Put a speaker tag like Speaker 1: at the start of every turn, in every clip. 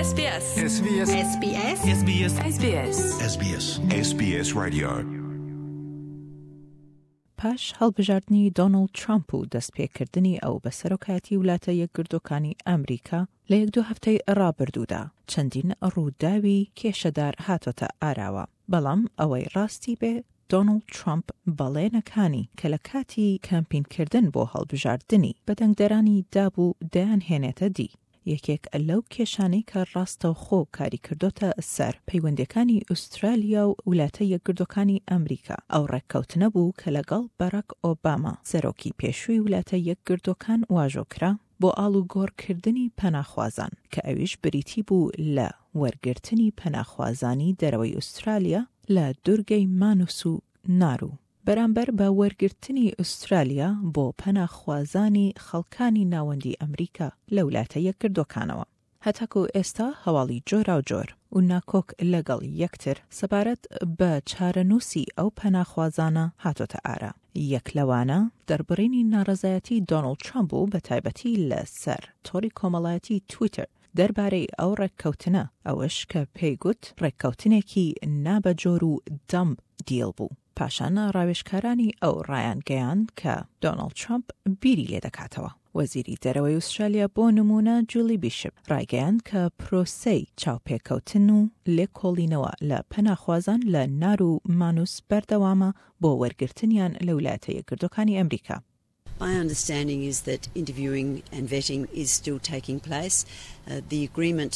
Speaker 1: SBS. SBS. SBS. SBS. SBS. SBS. SBS Radio.
Speaker 2: پاش هەڵبژاردنی دۆناڵد ترامپ و دەستپێکردنی ئەو بە سەرۆکایەتی ولاتە یەکگرتووەکانی ئەمریکا لە یەک دوو هەفتەی ڕابردوودا چەندین ڕووداوی کێشەدار هاتۆتە ئاراوە، بەڵام ئەوەی ڕاستی بێ دۆناڵد ترامپ بەڵێنەکانی کە لە کاتی کەمپینکردن بۆ هەڵبژاردنی بە دەنگدەرانی دابوو دەیانهێنێتە دی. یەکێک لەو کێشانەی کە ڕاستەوخۆ کاری کردۆتە سەر پەیوەندیەکانی ئوسترالیا و ولاتە یەکگردوەکانی ئەمریکا ئەو ڕێککەوتنە بوو کە لەگەڵ باراک ئۆباما سەرۆکی پێشووی ولاتە یەکگردوەکان واژۆ کرا بۆ ئاڵوگۆڕ کردنی پەناخوازان کە ئەویش بریتی بوو لە وەرگرتنی پەناخوازانی دەرەوەی ئوسترالیا لە دورگەی مانوس و نارو. بەرامبەر بە وەرگرتنی ئوسترالیا بۆ پەناخوازانی خەڵکانی ناوەندی ئەمریکا لە ولاتە یەکگردوەکانەوە. هەتاکو ئێستا هەواڵی جۆراوجۆر و ناکۆک لەگەڵ یەکتر سەبارەت بە چارەنووسی ئەو پەناخوازانە هاتۆتە ئارا. یەک لەوانە دەربڕینی ناڕەزایەتی دۆناڵد ترامپ بوو بەتایبەتی لە سەر تۆڕی کۆمەڵایەتی تویتەر دەربارەی ئەو ڕێککەوتنە، ئەوەش کە پێی گوت ڕێککەوتنێکی نابەجۆر و دەمب دیڵ بوو. پاشان ڕاوێژکارانی ئەو ڕایانگەیاند کە دۆناڵد ترامپ بیری لێدەکاتەوە. وەزیری دەرەوەی ئوسترالیا بۆ نموونە جولی بیشپ ڕایگەیاند کە پرۆسەی چاوپێکەوتن و لێکۆڵینەوە لە پەناخوازان لە نار و مانوس بەردەوامە بۆ وەرگرتنیان لە ولایەتە یەکگرتووەکانی ئەمریکا.
Speaker 3: My understanding is that interviewing and vetting is still taking place. The agreement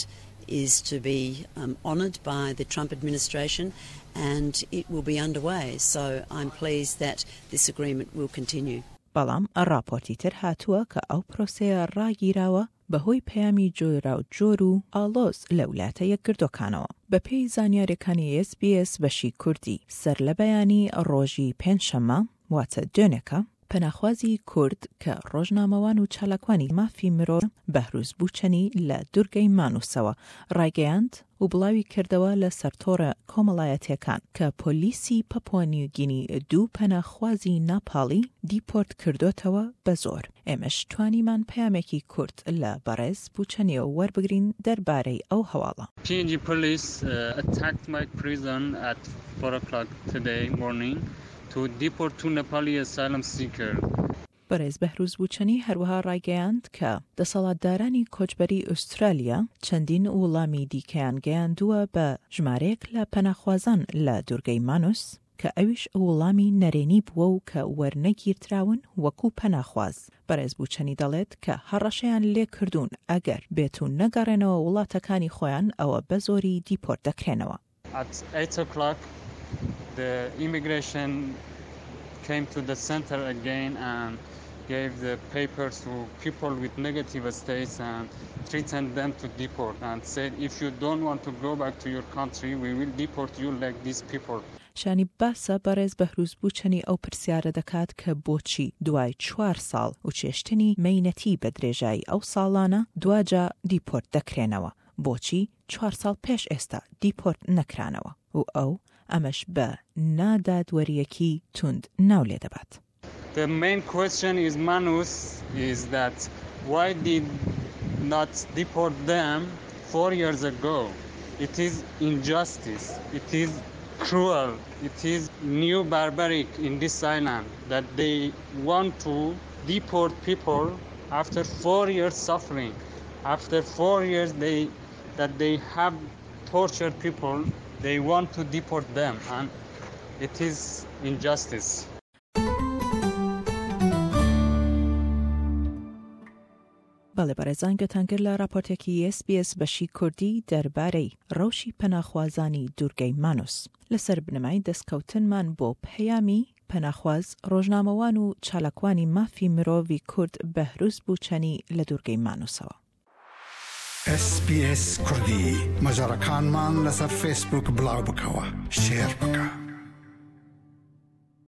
Speaker 3: is to be honoured by the Trump administration and it will be underway. So I'm pleased that this agreement will continue.
Speaker 2: بەڵام ڕاپۆرتی تر هاتووە کە ئەو پرۆسەیە ڕاگیراوە بەهۆی پەیامی جۆراوجۆر و ئاڵۆز لە ولاتە یەکگردووەکانەوە. بەپێی زانیاریەکانی ئێس بی ئێس بەشی کوردی، سەرلەبەیانی ڕۆژی پێنجشەممە، واتە دوێنێکە، پەناخوازی کورد کە ڕۆژنامەوان و چالاکوانی مافی مرۆڤ بەهروز بوچەنی لە دورگەی مانوسەوە ڕایگەیاند و بڵاوی کردەوە لە سەر تۆڕە کۆمەڵایەتیەکان کە پۆلیسی پەپوا نیوگینی دوو پەناخوازی ناپاڵی دیپۆرت کردۆتەوە بە زۆر. ئێمەش توانیمان پەیامێکی کورت لە بەڕێز بوچەنیەوە وەربگرین دەربارەی ئەو هەواڵە.
Speaker 4: PNG police attacked my prison at four o'clock today morning to deport two Nepali asylum seeker.
Speaker 2: بەڕێز بەهروز بوچەنی هەروەها ڕایگەیاند کە دەسەڵاتدارانی کۆچبەری ئوسترالیا چەندین ووڵامی دیکەیان گەیاندووە بە ژمارەیەک لە پەناخوازان لە دوورگەی مانوس کە ئەویش ووڵامی نەرێنی بووە و کە وەرنەگیردراون وەکوو پەناخواز. بەڕێز بوچەنی دەڵێت کە هەڕەشەیان لێکردوون ئەگەر بێتوو نەگەڕێنەوە ووڵاتەکانی خۆیان ئەوە بەزۆری دیپۆرت دەکرێنەوە.
Speaker 4: At 8 o'clock, the immigration came to the center again and gave the papers to people with negative states and threatened them to deport and said, if you don't want to go back to your country, we will deport you like these people.
Speaker 2: شانی باسە بەڕێز بەهروز بوچەنی ئەو پرسیارە دەکات کە بۆچی دوای چوار ساڵ و چێشتنی مەینەتی بە درێژایی ئەو ساڵانە دواجا دیپۆرت دەکرێنەوە بۆچی چوار ساڵ پێش ئێستا دیپۆرت نەکرانەوە و ئەو ئەمەش بە نادادوەرییەکی توند ناو لێدەبات.
Speaker 4: The main question is Manus is that why did not deport them four years ago? It is injustice, it is cruel, it is new barbaric in this island that they want to deport people after four years suffering, after four years they that they have tortured people, they want to deport them and it is injustice.
Speaker 2: بەڵێ بەڕێزان گوێتان گرت لە ڕاپۆرتێکی ئێس بی ئێس بەشی کوردی دەربارەی ڕەوشی پەناخوازانی دوورگەی مانوس لەسەر بنەمای دەستکەوتنمان بۆ پەیامی پەناخواز، ڕۆژنامەوان و چالاکوانی مافی مرۆڤی کورد بەهروز بوچەنی لە دوورگەی مانوسەوە.
Speaker 1: SBS کوردی مەجەڕەکانمان لەسەر فەیسبووک بڵاو بکەوە شێر بکە.